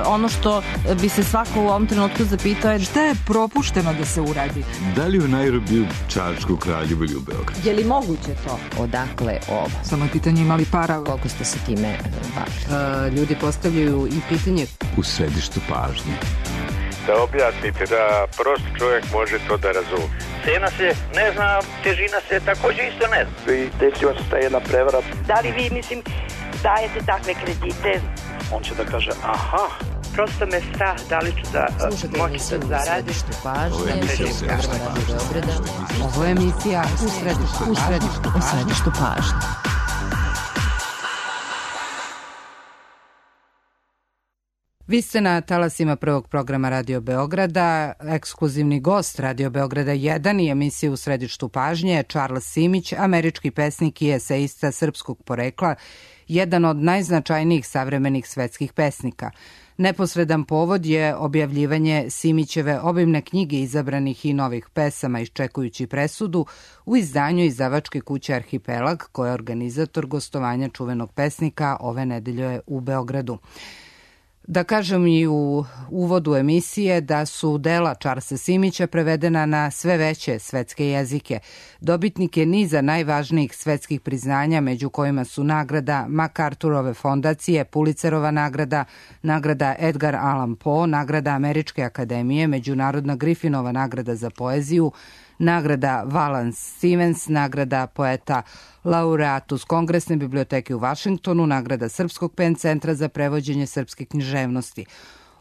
ono što bi se svako u ovom trenutku zapitao je šta je propušteno da se uradi? Da li u Nairobiju, Čačku, Kraljevu ili u Beogradu? Je li moguće to? Odakle ovo? Samo je pitanje imali para. Koliko ste se time bavili? Ljudi postavljaju i pitanje U središtu pažnje. Da objasnite, da prost čovjek može to da razumije. Cena se ne zna, težina se također isto ne zna. I desila se ta jedna prevara. Da li vi, dajete takve kredite? On će da kaže, aha. Prosto me strah da li ću da moći da zaradim. Ovo je emisija u središtu pažnje. Vi ste na talasima prvog programa Radio Beograda. Ekskluzivni gost Radio Beograda 1 i emisije u središtu pažnje je Charles Simić, američki pesnik i eseista srpskog porekla, jedan od najznačajnijih savremenih svetskih pesnika. Neposredan povod je objavljivanje Simićeve obimne knjige izabranih i novih pesama Iščekujući presudu u izdanju izdavačke kuće Arhipelag, koja je organizator gostovanja čuvenog pesnika ove nedelje u Beogradu. Da kažem i u uvodu emisije da su dela Charlesa Simića prevedena na sve veće svetske jezike. Dobitnik je niza najvažnijih svetskih priznanja, među kojima su nagrada MacArthurove fondacije, Pulitzerova nagrada, nagrada Edgar Allan Poe, nagrada Američke akademije, Međunarodna Griffinova nagrada za poeziju, nagrada Valance Stevens, nagrada poeta laureatus Kongresne biblioteke u Vašingtonu, nagrada Srpskog PEN centra za prevođenje srpske književnosti.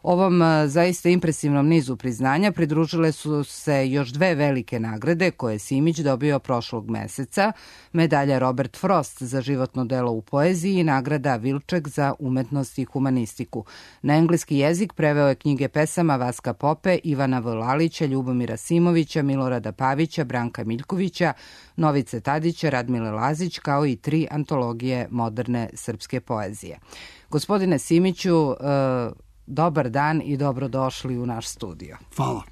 Ovom zaista impresivnom nizu priznanja pridružile su se još dve velike nagrade koje je Simić dobio prošlog meseca, medalja Robert Frost za životno delo u poeziji i nagrada Wilczek za umetnost i humanistiku. Na engleski jezik preveo je knjige pesama Vaska Pope, Ivana Vlalića, Ljubomira Simovića, Milorada Pavića, Branka Miljkovića, Novice Tadića, Radmile Lazić, kao i 3 antologije moderne srpske poezije. Gospodine Simiću, dobar dan i dobrodošli u naš studio. Hvala.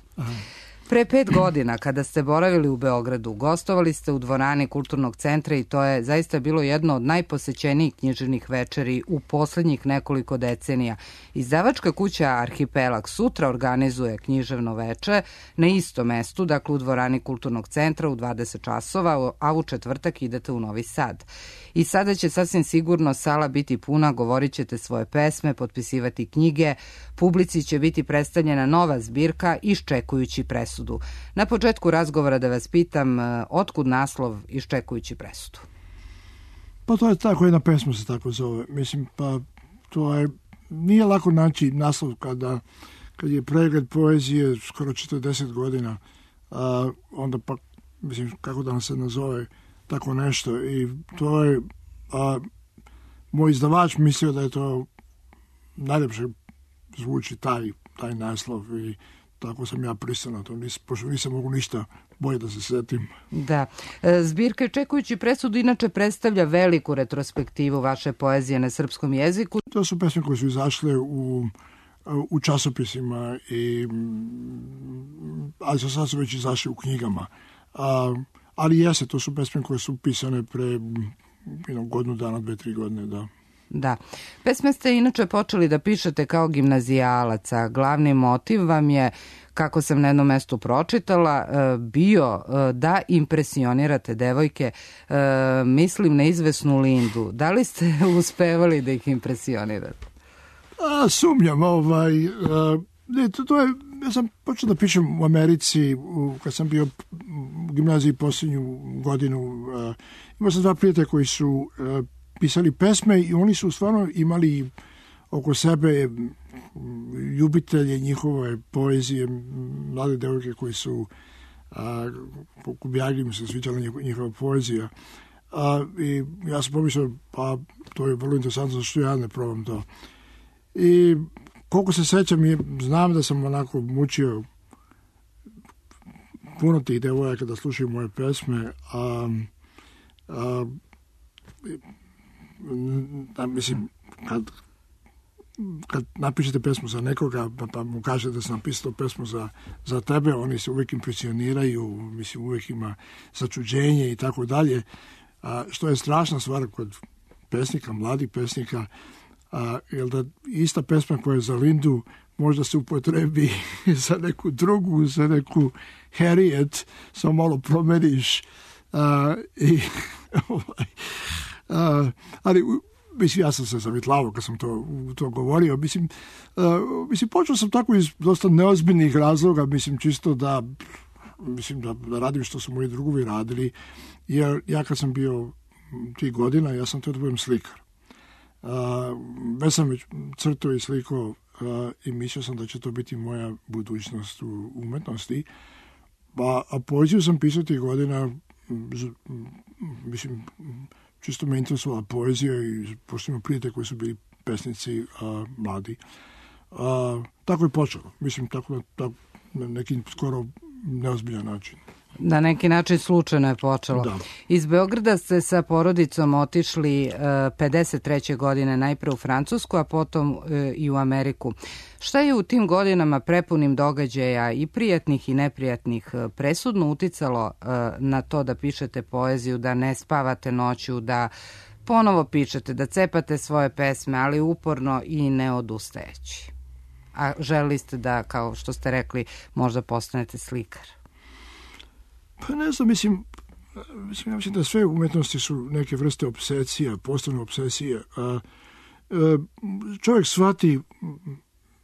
Pre 5 godina, kada ste boravili u Beogradu, gostovali ste u dvorani Kulturnog centra i to je zaista bilo jedno od najposećenijih književnih večeri u poslednjih nekoliko decenija. Izdavačka kuća Arhipelag sutra organizuje književno veče na istom mestu, dakle u dvorani Kulturnog centra u 20 časova, a u četvrtak idete u Novi Sad. I sada će sasvim sigurno sala biti puna, govorit ćete svoje pesme, potpisivati knjige, publici će biti predstavljena nova zbirka Iščekujući presudu. Na početku razgovora da vas pitam, otkud naslov Iščekujući presudu? Pa to je tako, jedna pesma se tako zove. Mislim, pa to je, nije lako naći naslov kad je pregled poezije skoro 40 godina, onda pa, mislim, kako da nam se nazove tako nešto. I to je, moj izdavač mislio da je to najljepše zvuči taj naslov i tako sam ja pristao na to, pošto nisam mogu ništa bolje da se setim. Da. Zbirka Iščekujući presudu inače predstavlja veliku retrospektivu vaše poezije na srpskom jeziku. To su pesme koje su izašle u časopisima, ali sad su već izašle u knjigama. Ali jeste, to su pesme koje su pisane pre godinu dana, 2-3 godine, da. Da. Pesme ste inače počeli da pišete kao gimnazijalac, a glavni motiv vam je, kako sam na jednom mestu pročitala, bio da impresionirate devojke, mislim na izvesnu Lindu. Da li ste uspevali da ih impresionirate? Sumnjam. To je, ja sam počeo da pišem u Americi, kad sam bio u gimnaziji posljednju godinu. Imao sam 2 prijatelja koji su pisali pesme i oni su stvarno imali oko sebe ljubitelje njihove poezije, mlade devojke koji su po Kubjaljima se sviđala njihova poezija. I ja sam pomislio, pa to je vrlo interesantno, zašto ja ne probam to. I koliko se sećam, znam da sam onako mučio puno tih devojaka da slušaju moje pesme, mislim, kad napišete pesmu za nekoga, pa mu kažete da sam napisao pesmu za tebe, oni se uvijek impresioniraju, mislim, uvijek ima začuđenje i tako dalje, što je strašna stvar kod pesnika, mladih pesnika. Jer da ista pesma koja je za Lindu možda se upotrebi za neku drugu, za neku Harriet, samo malo promeniš. Ali mislim, ja sam se zavitlavao kad sam to govorio. Mislim, počeo sam tako iz dosta neozbiljnih razloga, mislim, čisto da radim što su moji drugovi radili, jer ja kad sam bio tih godina, ja sam to da budem slikar. Već sam već crtao i slikao i mislio sam da će to biti moja budućnost u umetnosti. A poeziju sam pisao tih godina, mislim, čisto me interesovala poezija i pošto imam prijatelje koji su bili pesnici mladi. Tako je počelo. Mislim, tako na neki skoro neozbiljan način. Na neki način slučajno je počelo. Da. Iz Beograda ste sa porodicom otišli 53. godine najpre u Francusku, a potom i u Ameriku. Šta je u tim godinama prepunim događaja i prijatnih i neprijatnih presudno uticalo na to da pišete poeziju, da ne spavate noću, da ponovo pišete, da cepate svoje pesme, ali uporno i ne odustajeći? A želili ste da, kao što ste rekli, možda postanete slikar? Pa ne znam, mislim da sve umetnosti su neke vrste obsesija, posebne obsesije. Čovjek shvati,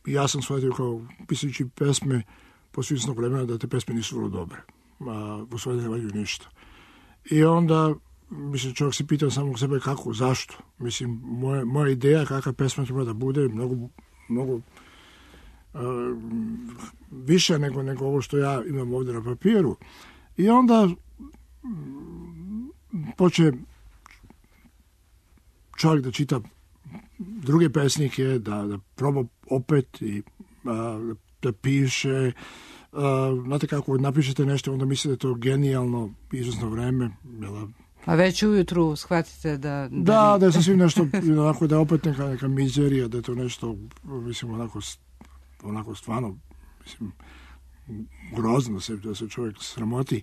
ja sam shvatio kao pisajući pesme posle izvesnog vremena da te pesme nisu vrlo dobre. U stvari ne valjaju ništa. I onda, mislim, čovjek se pitao samog sebe kako, zašto. Mislim, moja ideja kakva pesma treba da bude mnogo više nego ovo što ja imam ovdje na papiru. I onda poče čovjek da čita druge pesnike, da proba opet i da piše. Znate kako napišete nešto, onda mislite da je to genijalno, izvesno vreme. A već ujutru shvatite da... Da je sasvim nešto, onako, da je opet neka mizerija, da je to nešto, mislim, onako stvarno, mislim, grozno da se čovjek sramoti.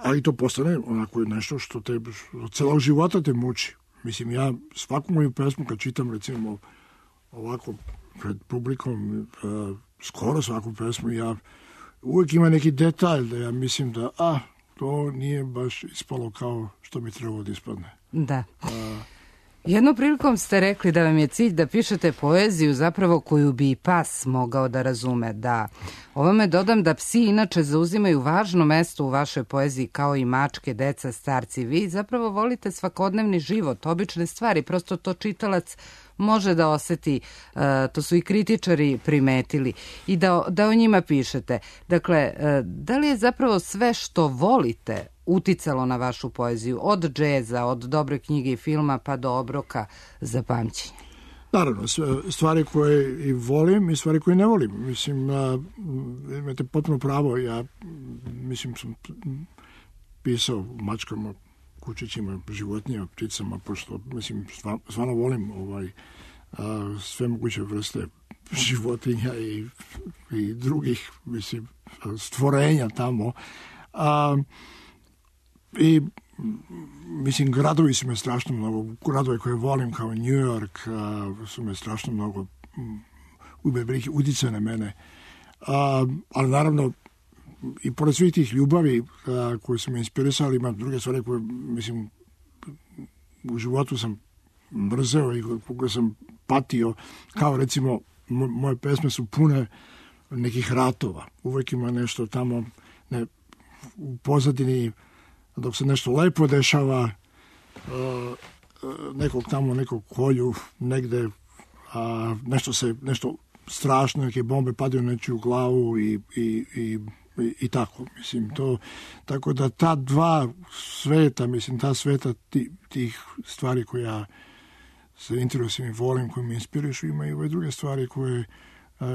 Ali to postane onako nešto što te od celog života te muči. Mislim, ja svaku moju pesmu kad čitam, recimo, ovako pred publikom, skoro svaku pesmu, ja uvijek ima neki detalj da ja mislim da to nije baš ispalo kao što mi trebalo da ispadne. Da. Jednom prilikom ste rekli da vam je cilj da pišete poeziju zapravo koju bi i pas mogao da razume. Da. Ovome dodam da psi inače zauzimaju važno mesto u vašoj poeziji kao i mačke, deca, starci. Vi zapravo volite svakodnevni život, obične stvari, prosto to čitalac može da oseti, to su i kritičari primetili, i da o njima pišete. Dakle, da li je zapravo sve što volite uticalo na vašu poeziju, od džeza, od dobre knjige i filma pa do obroka za pamćenje? Naravno, stvari koje i volim i stvari koje ne volim. Mislim, imate potpuno pravo, ja mislim sam pisao mačkama, kučićima, životinjama, pticama, pošto mislim, stvarno volim sve moguće vrste životinja i drugih, mislim, stvorenja tamo. I mislim, gradovi su me strašno mnogo, gradovi koje volim kao New York su me strašno mnogo utjecaju na mene. Ali naravno, i pored svih tih ljubavi koje su me inspirisali, ima druge stvari koje, mislim, u životu sam mrzeo i koje sam patio, kao recimo moje pesme su pune nekih ratova. Uvijek ima nešto tamo u pozadini, dok se nešto lepo dešava, nekog kolju negde, nešto strašno, neke bombe padaju nečiju glavu i tako, mislim, to, tako da ta dva sveta, mislim, ta sveta tih stvari koje ja se interesujem i volim, koje me inspirišu, ima i ove druge stvari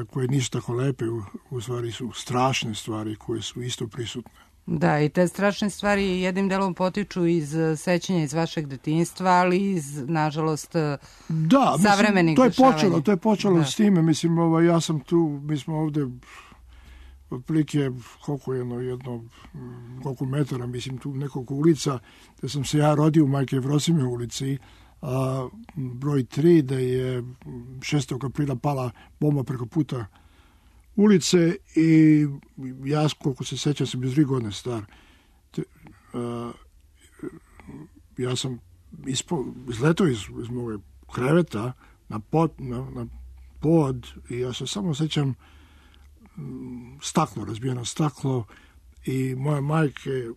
koje nisu tako lepe, u stvari su strašne stvari koje su isto prisutne. Da, i te strašne stvari jednim delom potiču iz sećanja iz vašeg detinjstva, ali iz, nažalost, savremenih dešavanja. To je počelo s time, mislim, ja sam tu, mi smo ovde otprilike koliko metara, mislim, tu nekoliko ulica, da sam se ja rodio u Majke Jevrosime ulici, broj 3, da je 6. aprila pala bomba preko puta ulice i ja, koliko se sećam, sam bio 3 godine star. Ja sam izletao iz moje kreveta na pod i ja se samo sećam staklo, razbijeno staklo i moja majke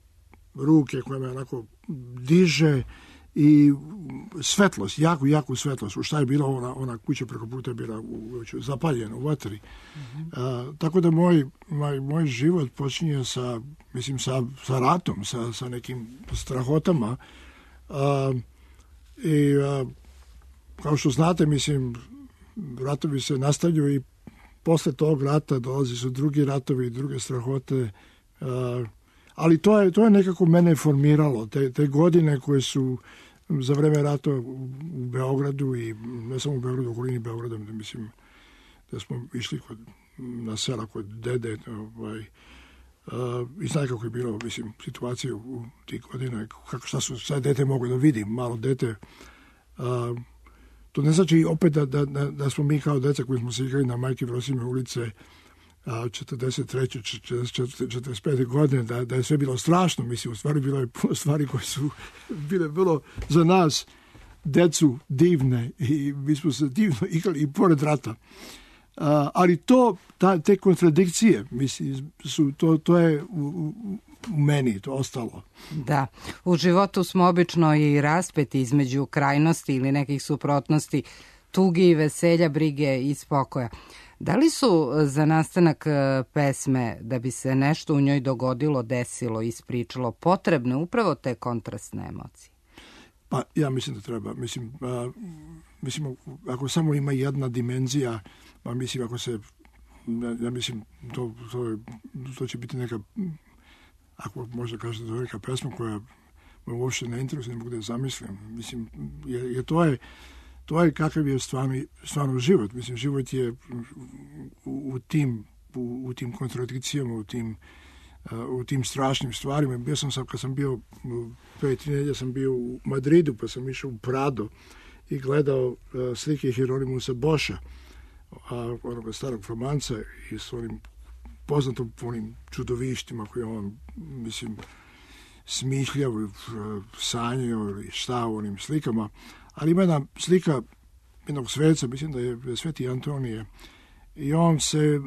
ruke koja me onako diže i svetlost, jaku svetlost. U šta je bila ona kuća preko puta je bila zapaljena u vatri. Tako da moj život počinje sa ratom, sa nekim strahotama. I kao što znate, ratovi se nastavljaju i posle tog rata dolazi su drugi ratovi i druge strahote. Ali to je nekako mene formiralo. Te godine koje su za vreme rata u Beogradu i ne samo u Beogradu, u okolini Beograda, mislim da smo išli na sela kod dede i znaju kako je bilo, situacija u tih godina, šta su sad dete mogu da vidi, malo dete. To ne znači opet da smo mi kao deca koji smo se igrali na Majke Vrosime ulice 43. 45. godine, da je sve bilo strašno. U stvari bilo je puno stvari koje su bile vrlo za nas, decu, divne i mi smo se divno igrali i pored rata. Ali te kontradikcije, to je u meni, to ostalo. Da, u životu smo obično i raspeti između krajnosti ili nekih suprotnosti, tugi i veselja, brige i spokoja. Da li su za nastanak pesme, da bi se nešto u njoj dogodilo, desilo, ispričalo, potrebne upravo te kontrastne emocije? Pa ja mislim da treba. Mislim, ako samo ima jedna dimenzija, pa mislim, ako se, ja mislim, to će biti neka, ako možda kažete, to je neka pesma koja me uopšte ne interesuje, ne mogu da je zamislim. Mislim, jer to je kakav je stvarno život. Mislim, život je u tim kontradikcijama, u tim strašnim stvarima. Kad sam bio pre 3 nedelje, sam bio u Madridu, pa sam išao u Prado i gledao slike Hieronymusa Boša, onoga starog Flamanca, i s onim poznatom onim čudovištima koje on, smišljao, sanjao ili šta u onim slikama. Ali ima jedna slika jednog sveca, mislim da je Sveti Antonije, i on se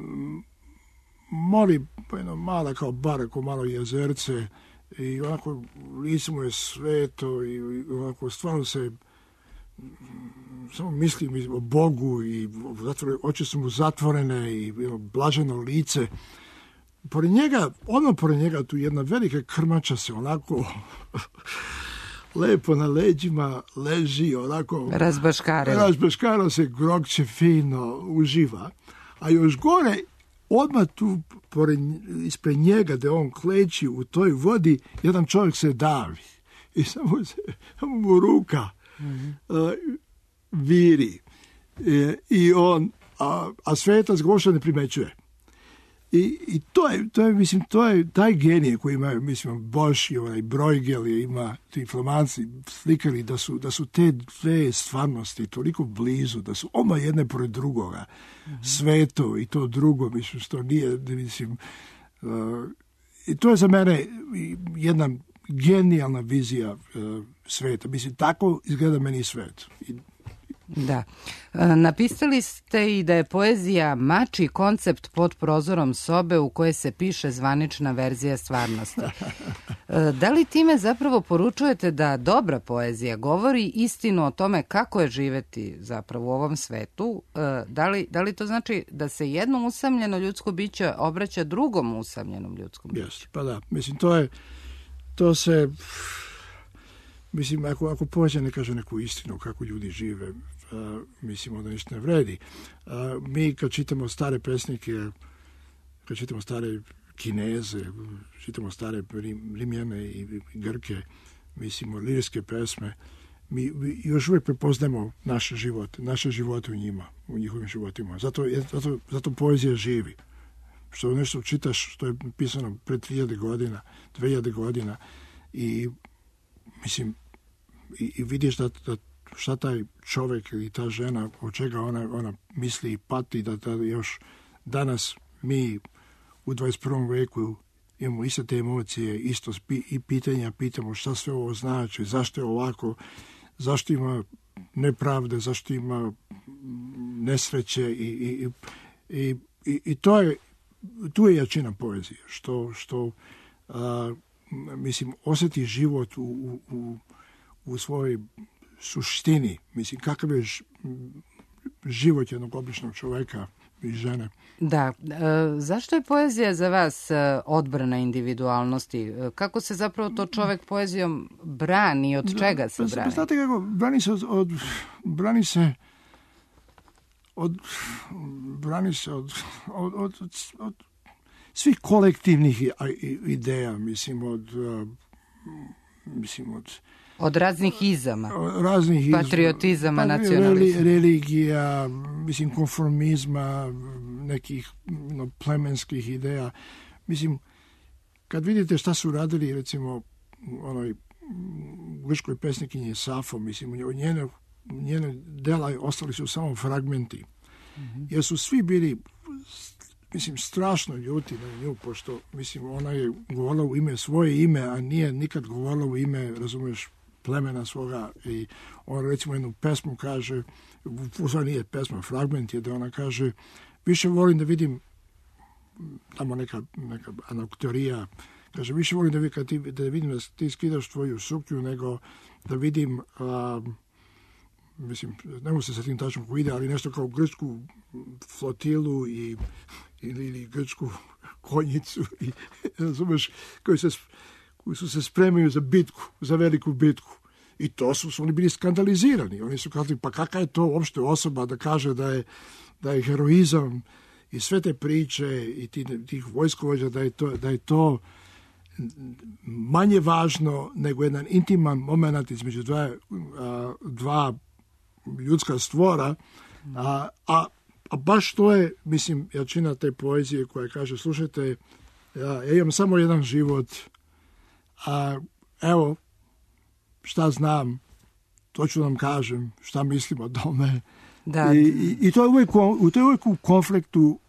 moli po jedno mala kao bar, kao malo jezerce, i onako lice mu je sveto i onako stvarno se samo misli o Bogu i oči su mu zatvorene i blaženo lice. Pored njega tu jedna velika krmača se onako lepo na leđima leži, onako razbaškara se, grokće fino, uživa. A još gore, odmah tu ispred njega, da on kleči u toj vodi, jedan čovjek se davi i samo mu ruka viri i on, a svetac ga uopšte ne primećuje. I to je taj genije koji ima, Boš i onaj Bruegel ima, ti Flamanci slikali da su te dve stvarnosti toliko blizu, da su oma jedne pored drugoga, sveto i to drugo, što nije, i to je za mene jedna genijalna vizija sveta. Tako izgleda meni svet. Da. Napisali ste i da je poezija mačji koncept pod prozorom sobe u kojoj se piše zvanična verzija stvarnosti. Da li time zapravo poručujete da dobra poezija govori istinu o tome kako je živeti zapravo u ovom svetu? Da li to znači da se jedno usamljeno ljudsko biće obraća drugom usamljenom ljudskom biću? Yes, pa da. To se... ako poezija ne kaže neku istinu kako ljudi žive, onda ništa ne vredi. Mi kad čitamo stare pesnike, kad čitamo stare Kineze, čitamo stare Rimljane i Grke, lirske pesme, mi još uvijek prepoznajemo naše živote u njima, u njihovim životima. Zato poezija živi. Što nešto čitaš što je pisano pred 3000 godina, 2000 godina i i vidiš da šta taj čovjek ili ta žena, od čega ona misli i pati, da još danas mi u 21. veku imamo iste te emocije, isto i pitanja, pitamo šta sve ovo znači, zašto je ovako, zašto ima nepravde, zašto ima nesreće i tu je jačina poezije, što mislim, osjeti život u svojoj suštini, mislim, kakav je život jednog običnog čovjeka i žene. Da, zašto je poezija za vas odbrana individualnosti? Kako se zapravo to čovjek poezijom brani, od čega se brani? Znate kako, brani se od svih kolektivnih ideja, mislim, od raznih izama, patriotizama, nacionalizma. Religija, mislim, konformizma, nekih plemenskih ideja. Mislim, kad vidite šta su radili, recimo, onoj grčkoj pesnikinji Safo, mislim, njene dela ostali su samo fragmenti. Jer su svi bili, mislim, strašno ljuti na nju, pošto, mislim, ona je govorila u ime svoje ime, a nije nikad govorila u ime, razumiješ, plemena svoga. I on, recimo, jednu pesmu kaže, to nije pesma, fragment je da ona kaže, više volim da vidim, tamo neka anaktorija, kaže, više volim da vidim da ti skidaš tvoju suknju, nego da vidim, mislim, ne mogu se sa tim tačno ko ide, ali nešto kao grčku flotilu ili grčku konjicu, i, razumeš, koji su se spremaju za bitku, za veliku bitku. I to su oni bili skandalizirani. Oni su kazali, pa kakva je to uopšte osoba da kaže da je heroizam i sve te priče i tih vojskovođa, da je to manje važno nego jedan intiman moment između dva ljudska stvora, a baš to je, mislim, jačina te poezije koja kaže, slušajte, ja imam samo jedan život, a evo, šta znam, to ću vam kažem, šta mislim o tome. Da. I to je uvijek u konfliktu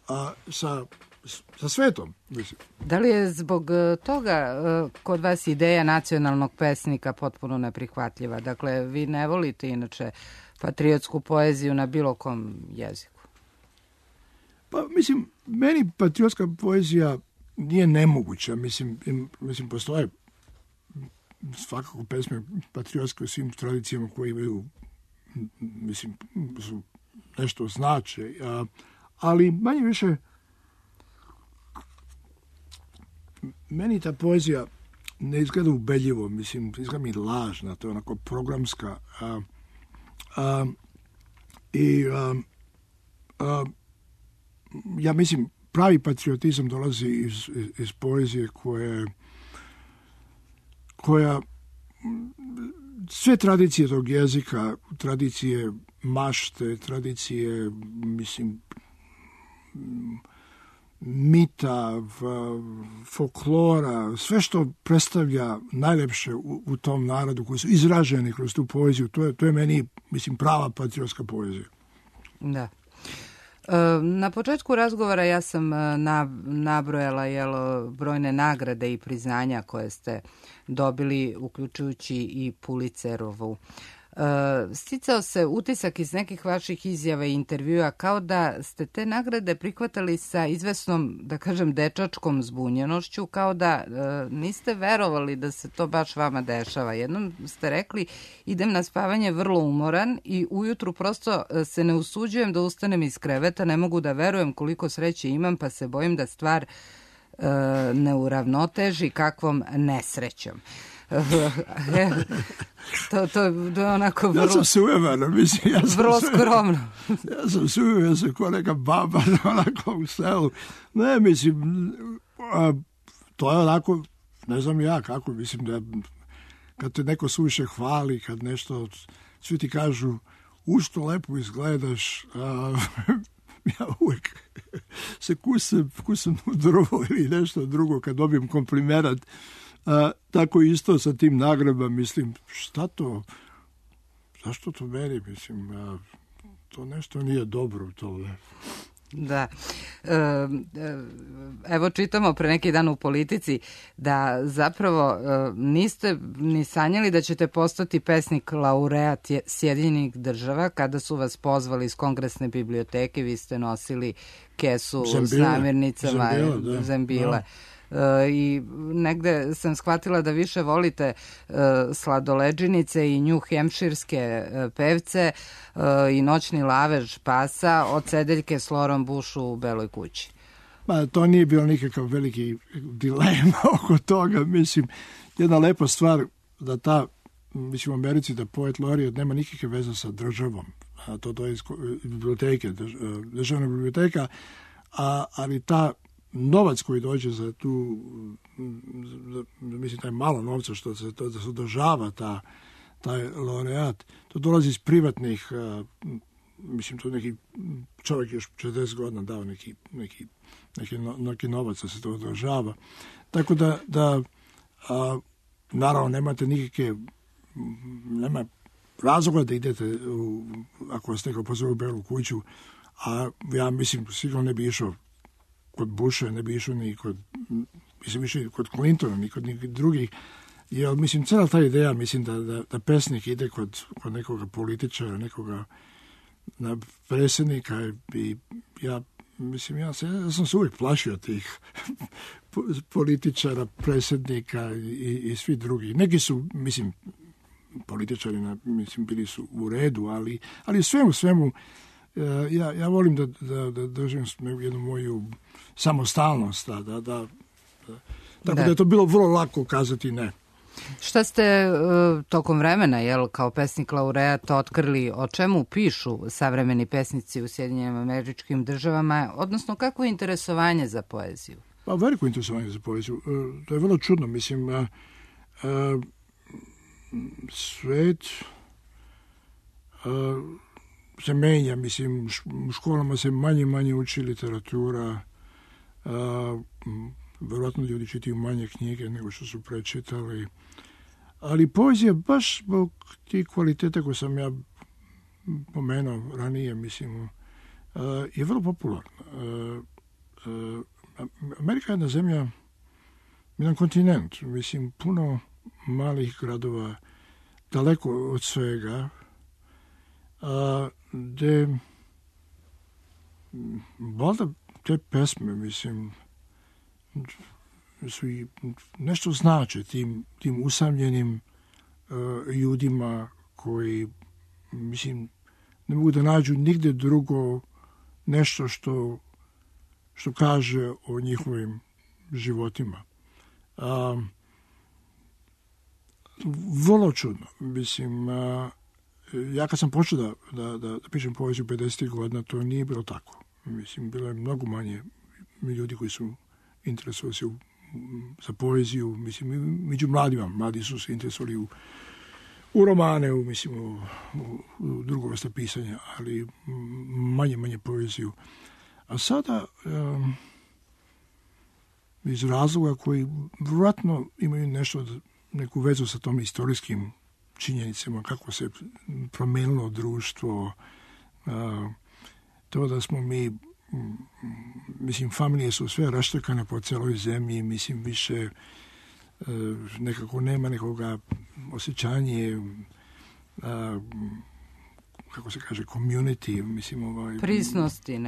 sa svetom. Mislim. Da li je zbog toga kod vas ideja nacionalnog pesnika potpuno neprihvatljiva? Dakle, vi ne volite inače patriotsku poeziju na bilo kom jeziku? Pa, mislim, meni patriotska poezija nije nemoguća. Mislim, postoje svakako pesme patriotske u svim tradicijama koje imaju, mislim, su nešto znače, ali manje više meni ta poezija ne izgleda ubedljivo, mislim, izgleda mi lažna, to je onako programska, ja mislim, pravi patriotizam dolazi iz poezije koja sve tradicije tog jezika, tradicije mašte, tradicije, mislim, mita, folklora, sve što predstavlja najlepše u tom narodu koji su izraženi kroz tu poeziju, to je meni, mislim, prava patriotska poezija. Da. Na početku razgovora ja sam nabrojala brojne nagrade i priznanja koje ste dobili, uključujući i Pulitzerovu. Sticao se utisak iz nekih vaših izjava i intervjua kao da ste te nagrade prihvatali sa izvesnom, da kažem, dečačkom zbunjenošću, kao da niste verovali da se to baš vama dešava. Jednom ste rekli, idem na spavanje vrlo umoran i ujutru prosto se ne usuđujem da ustanem iz kreveta, ne mogu da verujem koliko sreće imam, pa se bojim da stvar ne uravnoteži kakvom nesrećom. To je onako vrlo... Ja sam sujevan, mislim. Vrlo skromno. Ja sam sujevan, ja sam ko neka baba onako u selu. Ne, mislim, to je onako, ne znam ja kako, mislim da kad te neko suviše hvali, kad nešto, svi ti kažu, što lepo izgledaš, ja uvijek se kusam u drvo ili nešto drugo kad dobijem komplimenat. Tako isto sa tim nagradama, mislim, šta zašto to meni, mislim, to nešto nije dobro u tome. Da. Evo čitamo pre neki dan u Politici da zapravo niste ni sanjali da ćete postati pesnik laureat Sjedinjenih država. Kada su vas pozvali iz Kongresne biblioteke, vi ste nosili kesu s namirnicama Zembile. I negde sam shvatila da više volite sladoleđinice i New Hampshirske pevce i noćni lavež pasa od sedeljke s Lorom Bush u Beloj kući. Ma, to nije bilo nikakav veliki dilema oko toga. Mislim, jedna lepa stvar da mislim u Americi da poet laureat nema nikakve veze sa državom. To je iz biblioteke, državna biblioteka, ali novac koji dođe za tu, mislim, taj malo novca što se održava taj laureat, to dolazi iz privatnih, mislim, to neki čovjek još 40 godina dao neki novac da se to održava. Tako da naravno nemate nema razloga da idete ako vas neko pozove u Belu kuću, a ja mislim sigurno ne bi išao kod Busha, ne bi išao ni kod, mislim, išao kod Clintona, ni kod drugih. Jer, mislim, cijela ta ideja, mislim, da pesnik ide kod nekoga političara, nekoga predsjednika i ja sam se uvijek plašio tih političara, predsjednika i svi drugi. Neki su, mislim, političari, mislim, bili su u redu, ali svemu ja volim da držim jednu moju samostalnost, tako da je to bilo vrlo lako kazati ne. Šta ste tokom vremena, kao pesnik laureat, otkrili o čemu pišu savremeni pesnici u Sjedinjenim Američkim Državama, odnosno kako je interesovanje za poeziju? Pa veliko interesovanje za poeziju. To je vrlo čudno, mislim, svet se menja, mislim, u školama se manje uči literatura, verovatno ljudi čitaju manje knjige nego što su prečitali, ali poezija baš zbog tih kvaliteta koje sam ja pomenuo ranije, mislim, je vrlo popularna. Amerika je jedna zemlja, jedan kontinent, mislim, puno malih gradova, daleko od svega, gde valjda te pesme, mislim, su i nešto znače tim usamljenim ljudima koji, mislim, ne mogu da nađu nigde drugo nešto što kaže o njihovim životima. Vrlo čudno, mislim, ja kad sam počeo da pišem poeziju 50. godina, to nije bilo tako. Mislim, bilo je mnogo manje ljudi koji su interesovali se za poeziju, mislim, među mladima. Mladi su se interesovali u romane, mislim, u drugo vrste pisanja, ali manje poeziju. A sada, iz razloga koji vjerojatno imaju neku vezu sa tom istorijskim činjenicama, kako se promenilo društvo, to da smo mi, mislim, familije su sve raštrkane po celoj zemlji, mislim, više nekako nema nekoga osjećanje, kako se kaže, community, mislim, prisnosti,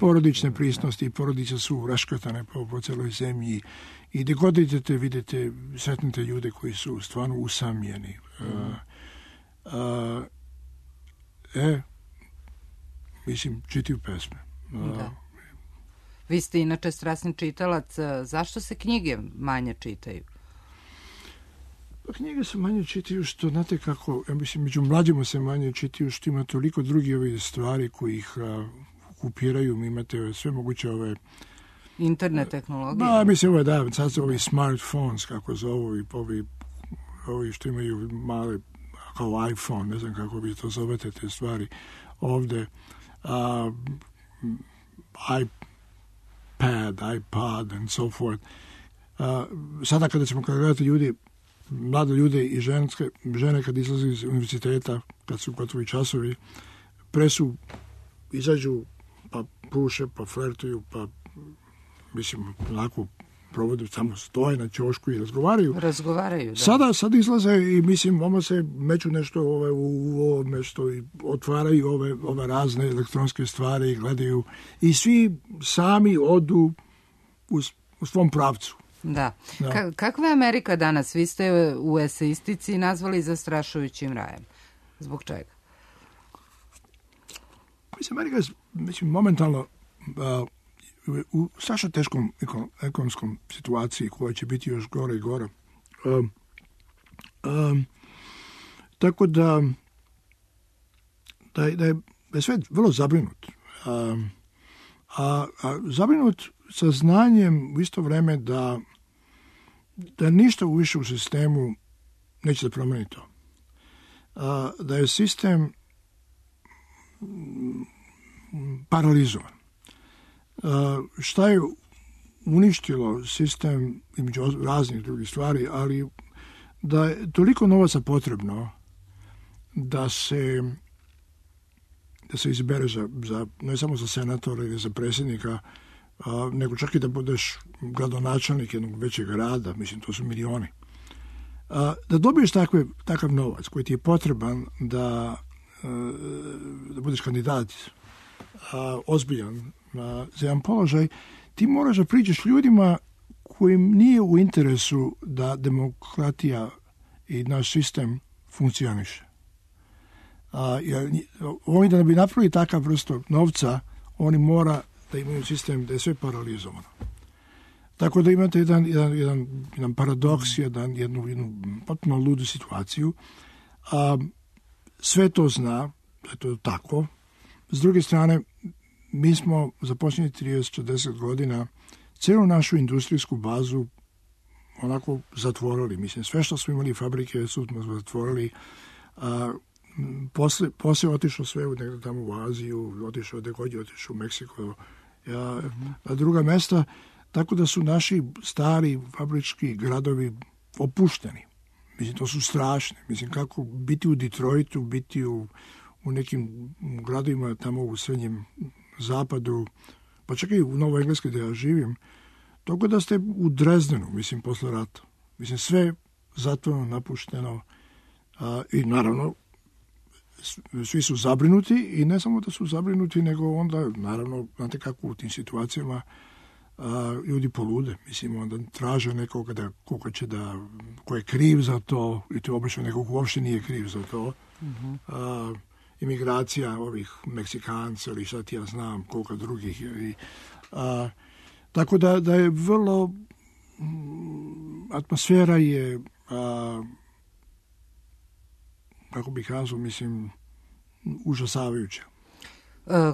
porodične prisnosti, porodice su raškrtane po celoj zemlji i gde god idete, vidite, sretnete ljude koji su stvarno usamljeni. Mislim, čitaju pesme. Da. Vi ste inače strasni čitalac. Zašto se knjige manje čitaju? Pa knjige se manje čitaju što, znate kako, ja mislim, među mlađima se manje čitaju što ima toliko drugih stvari koji ih okupiraju. Mi imate sve moguće internet tehnologije. Da, mislim, sad su ovi smartphones, kako zovu, i ovi što imaju male, kao iPhone, ne znam kako vi to zovete, te stvari ovde. iPad and so forth. Sada kada gledate ljudi mlade ljude i žene kad izlaze iz univerziteta, kad su gotovi časovi, izađu, pa puše, pa flertuju, pa mislim, onako provode, samo stoje na ćošku i razgovaraju. Da. Sad izlaze i mislim, oma se meću nešto u ovo nešto i otvaraju ove razne elektronske stvari i gledaju i svi sami odu u svom pravcu. Da. Kakva je Amerika danas? Vi ste u eseistici nazvali zastrašujućim rajem. Zbog čega? Mislim, Amerika je momentalno u strašno teškom ekonomskom situaciji koja će biti još gore i gore. Tako da je sve vrlo zabrinut. A zabrinut sa znanjem u isto vreme da ništa više u sistemu neće da promeni to. Da je sistem paralizovan. Šta je uništilo sistem između raznih drugih stvari, ali da je toliko novaca potrebno da se izbere za ne samo za senatora ili za predsjednika, nego čak i da budeš gradonačelnik jednog većeg grada, mislim, to su milioni. Da dobiješ takav novac koji ti je potreban da budeš kandidat ozbiljan za jedan položaj, ti moraš da priđeš ljudima kojim nije u interesu da demokratija i naš sistem funkcioniše. Oni da bi napravili takav vrstu novca, oni mora da imaju sistem da je sve paralizovano. Tako da imate jedan paradoks, jednu potpuno ludu situaciju. Sve to zna, da je to tako. S druge strane, mi smo za posljednjih 30-40 godina cijelu našu industrijsku bazu onako zatvorili. Mislim, sve što smo imali fabrike smo zatvorili. Poslije otišlo sve negdje tamo u Aziju, otišao u Meksiko, na druga mesta, tako da su naši stari fabrički gradovi opušteni. Mislim, to su strašni. Mislim, kako biti u Detroitu, biti u nekim gradovima tamo u srednjem zapadu, pa čak i u Novoj Engleskoj gdje ja živim, toga da ste u Drezdenu, mislim, posle rata. Mislim, sve zatvoreno, napušteno i naravno svi su zabrinuti i ne samo da su zabrinuti, nego onda, naravno, znate kako u tim situacijama ljudi polude. Mislim, onda traže nekoga ko je kriv za to i to obično nekog ko uopšte nije kriv za to. Imigracija ovih Meksikanca ili šta ti ja znam, koliko drugih. Tako da je vrlo atmosfera je kako bih kazao, mislim, užasavajuća.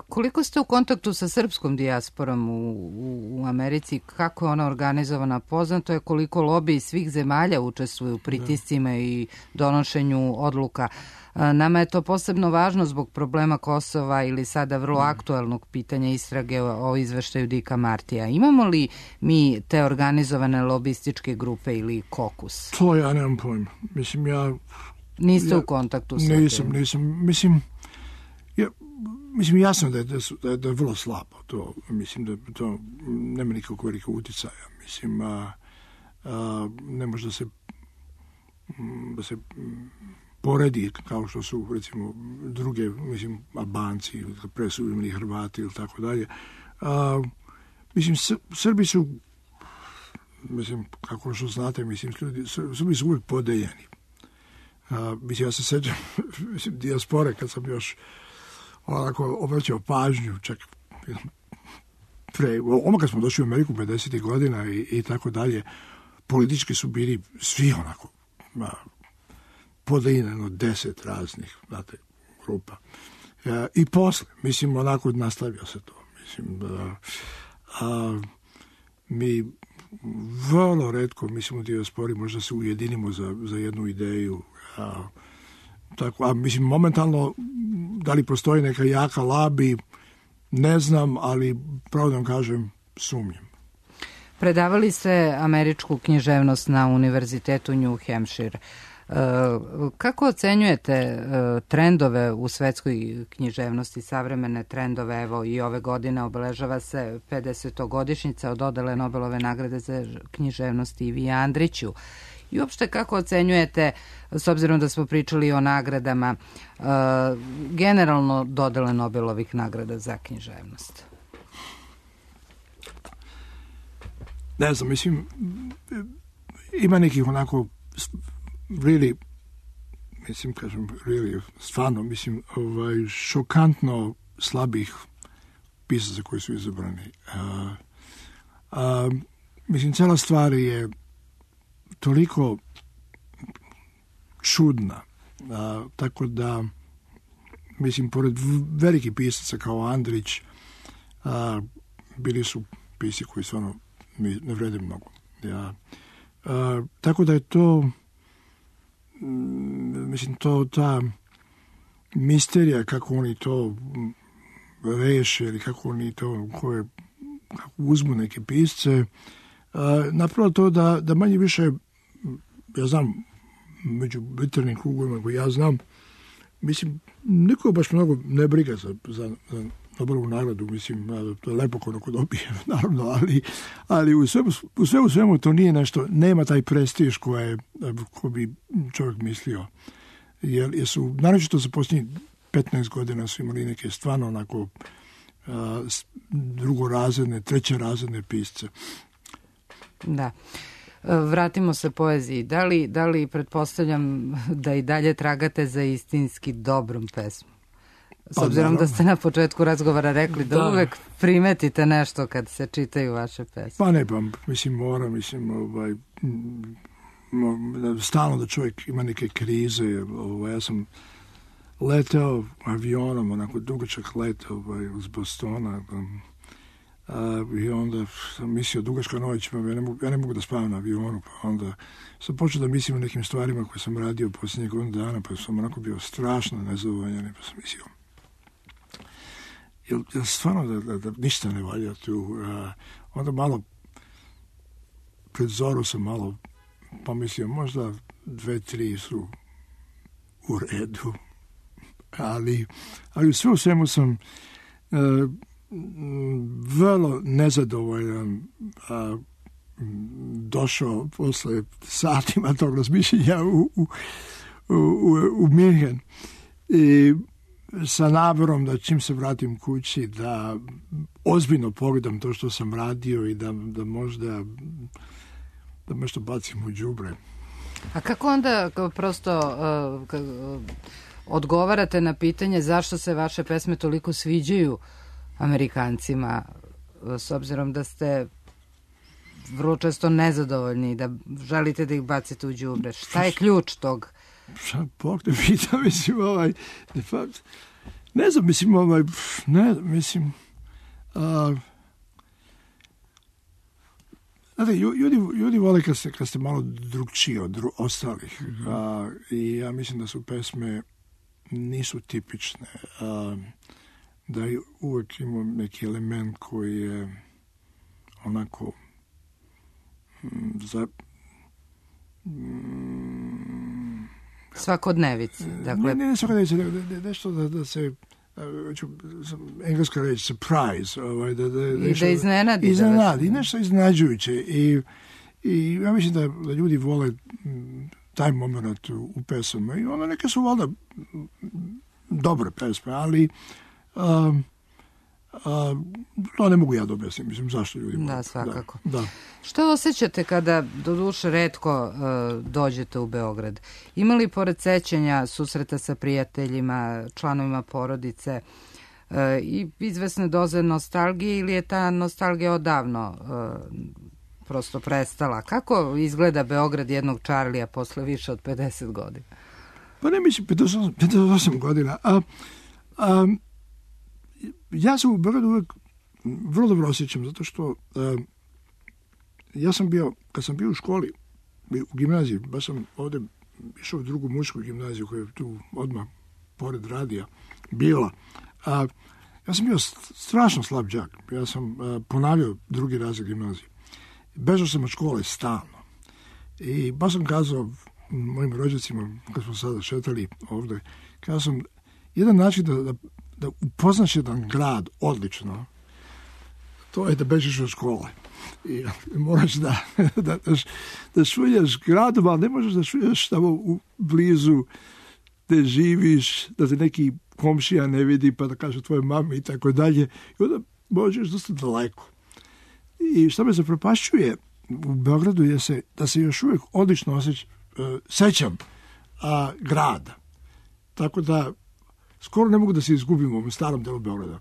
Koliko ste u kontaktu sa srpskom dijasporom u Americi? Kako je ona organizovana? Poznato je koliko lobiji svih zemalja učestvuju u pritiscima i donošenju odluka. Nama je to posebno važno zbog problema Kosova ili sada vrlo aktualnog pitanja istrage o izveštaju Dika Martija. Imamo li mi te organizovane lobističke grupe ili kokus? To ja nemam pojma. Mislim, Niste u kontaktu sa tim? Nisam. Mislim, jasno da je vrlo slabo to. Mislim da to nema nikakvog velikog uticaja. Mislim, ne može da se poredi kao što su, recimo, druge, mislim, Albanci ili presudimni Hrvati ili tako dalje. Mislim, Srbi su, mislim, kako što znate, mislim, Srbi su uvijek podeljeni. Mislim, ja se sećam dijaspore kad sam još onako obraćao pažnju, čak kad smo došli u Ameriku 50. godina i tako dalje, politički su bili svi onako podeljeno 10 raznih, znate, grupa. I posle, mislim, onako nastavio se to. Mislim, mi vrlo retko, mislim, u dijaspori možda se ujedinimo za jednu ideju. Tako, mislim, momentalno, da li postoji neka jaka labi, ne znam, ali pravo da vam kažem, sumnjam. Predavali ste američku književnost na Univerzitetu New Hampshire. Kako ocenjujete trendove u svetskoj književnosti, savremene trendove? Evo i ove godine obeležava se 50-godišnjica od dodele Nobelove nagrade za književnost Ivi Andriću. I uopšte kako ocenjujete, s obzirom da smo pričali o nagradama, generalno dodele Nobelovih nagrada za književnost? Ne znam, mislim, ima nekih onako šokantno slabih pisaca koji su izabrani. Mislim, cela stvar je toliko čudna, tako da, mislim, pored velikih pisaca kao Andrić, bili su pisci koji stvarno ne vrede mnogo. Tako da je to, mislim, ta misterija kako oni to reše ili kako oni to, kako uzmu neke pisce, napravo to da manje više, ja znam, među literarnim krugovima koji ja znam, mislim, niko baš mnogo ne briga za Nobelovu nagradu, mislim, to je lepo ko dobije, naravno, ali u svemu to nije nešto, nema taj prestiž ko bi čovjek mislio. Jer su, naročito za posljednjih 15 godina su imali neke stvarno onako drugorazredne, trećerazredne pisce. Da. Vratimo se poeziji. Da li pretpostavljam da i dalje tragate za istinski dobrom pesmom? S obzirom da ste na početku razgovora rekli da uvek primetite nešto kad se čitaju vaše pesme. Pa ne, mislim, stalno da čovjek ima neke krize. Ja sam leteo avionom, onako dugačak let iz Bostona, i onda sam mislio dugačka noć, ja ne mogu da spavam na avionu, pa onda sam počeo da mislim o nekim stvarima koje sam radio posljednjeg godina dana, pa sam onako bio strašno nezadovoljan, pa sam mislio jel stvarno da ništa ne valja tu. Onda malo pred zoru sam malo pomislio, možda 2-3 su u redu, ali sve u svemu sam vrlo nezadovoljan došao posle satima tog razmišljenja u Minhen i sa naborom da čim se vratim kući da ozbiljno pogledam to što sam radio i da možda da nešto bacim u đubre. A kako onda prosto odgovarate na pitanje zašto se vaše pesme toliko sviđaju Amerikancima, s obzirom da ste vrlo često nezadovoljni, da želite da ih bacite u đubre? Šta je ključ tog? Bog te pita, mislim, ne znam, mislim, znate, ljudi vole kad ste malo drugčiji od ostalih, i ja mislim da su pesme nisu tipične, da uvek imam neki element koji je onako svakodnevici. Dakle... Ne svakodnevici, nešto da se engleska reč surprise, da iznenadi. Iznenadi, nešto iznenađujuće. I ja mislim da ljudi vole taj moment u pesama. I onda neke su valjda dobre pesme, ali to ne mogu ja da objasnim, mislim, zašto ljudi vole. Da, svakako. Da. Što osjećate kada, doduše, retko dođete u Beograd? Ima li pored sećanja susreta sa prijateljima, članovima porodice i izvesne doze nostalgije, ili je ta nostalgija odavno prosto prestala? Kako izgleda Beograd jednog Čarlija posle više od 50 godina? Pa ne mislim 58 godina. Ja sam u Beogradu uvek vrlo dobro osjećam, zato što ja sam bio, kad sam bio u školi, u gimnaziji, baš sam ovde išao u drugu mušku gimnaziju koja je tu odmah pored radija bila. Ja sam bio strašno slab đak. Ja sam ponavljao drugi razred gimnazije. Bežao sam od škole stalno. I baš sam kazao mojim rođacima, kad smo sada šetali ovde, kazao sam, jedan način da upoznaš jedan grad odlično, to je da bežiš od škole. I moraš da šuljaš gradom, ali ne možeš da šuljaš tamo u blizu gde živiš, da te neki komšija ne vidi, pa da kaže tvoje mame i tako dalje. I onda možeš dosta daleko. I što me zapropašćuje u Beogradu je da se još uvijek odlično sećam grada. Tako da skoro ne mogu da se izgubim u ovom starom delu Beograda.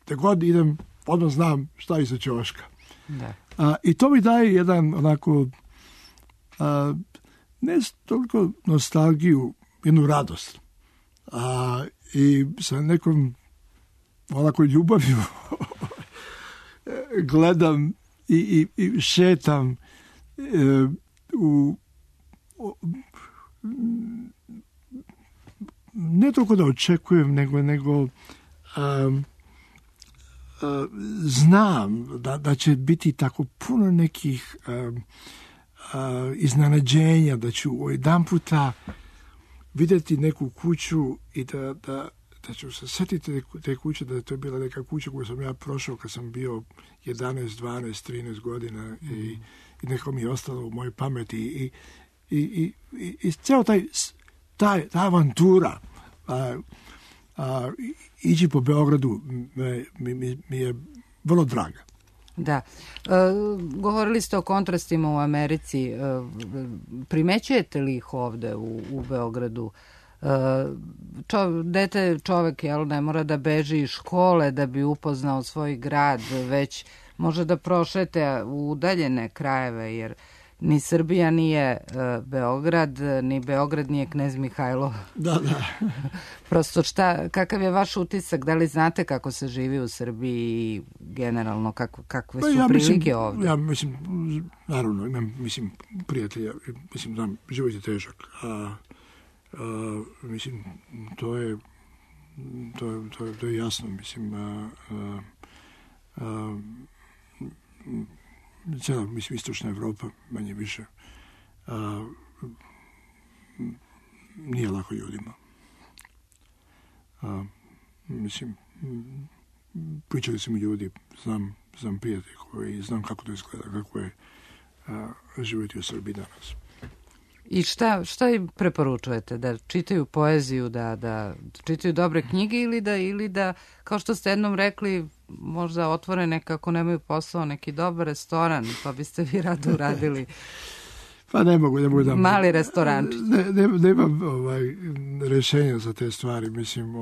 Te god idem, odmah znam šta je iza ćoška. Da. I to mi daje jedan onako ne toliko nostalgiju, jednu radost. I sa nekom onako ljubavlju gledam i šetam ne toliko da očekujem, nego znam da će biti tako puno nekih iznenađenja, da ću jedan puta vidjeti neku kuću i da ću se setiti te kuće, da je to bila neka kuća koju sam ja prošao kad sam bio 11, 12, 13 godina i neko mi je ostalo u mojoj pameti i ceo ta avantura ići po Beogradu mi je vrlo draga. Da. Govorili ste o kontrastima u Americi. Primećujete li ih ovde u Beogradu? Dete čovek ne mora da beži iz škole da bi upoznao svoj grad, već može da prošete u udaljene krajeve, jer ni Srbija nije Beograd, ni Beograd nije Knez Mihajlo. Da. Prosto kakav je vaš utisak? Da li znate kako se živi u Srbiji i generalno kakve su prilike ovde? Ja mislim, naravno, imam prijatelja, znam, život je težak. Mislim, to je jasno, mislim, cijela, istočna Evropa, manje više, nije lako ljudima. Mislim, pričali su mi ljudi, znam prijatelji koji znam kako to izgleda, kako je živjeti u Srbiji danas. I šta im preporučujete? Da čitaju poeziju, da čitaju dobre knjige ili da, kao što ste jednom rekli, možda otvore nekako nemaju posao, neki dobar restoran, pa biste vi rado uradili? Pa ne mogu da... Mali restorančić. Nemam rješenja za te stvari, mislim,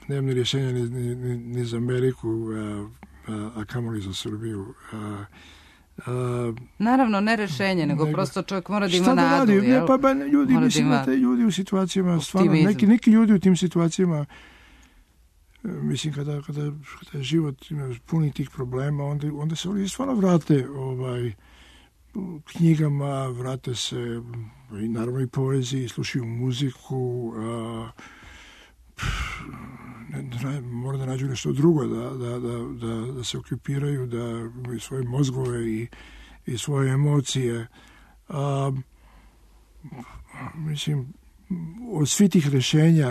nemam ni rješenja ni za Ameriku, a kamoli za Srbiju. Naravno, ne rešenje, nego prosto čovjek mora da ima nadu. Ljudi u situacijama, stvarno, neki ljudi u tim situacijama, mislim, kada život ima puni tih problema, onda se oni stvarno vrate knjigama, vrate se i naravno i poeziji, slušaju muziku, mora da nađu nešto drugo, da se okupiraju, da imaju svoje mozgove i svoje emocije. Mislim, od svih tih rešenja,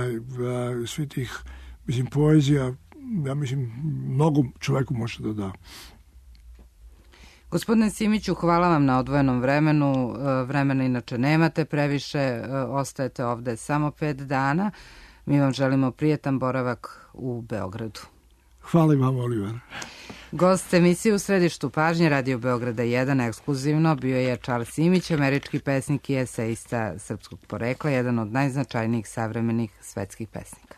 svih tih, mislim, poezija, ja mislim, mnogo čoveku može da da. Gospodine Simiću, hvala vam na odvojenom vremenu. Vremena inače nemate previše, ostajete ovde samo 5 dana. Mi vam želimo prijetan boravak u Beogradu. Hvala vam, Oliver. Gost emisije U središtu pažnje Radio Beograda 1 ekskluzivno bio je Charles Simić, američki pesnik i eseista srpskog porekla, jedan od najznačajnijih savremenih svetskih pesnika.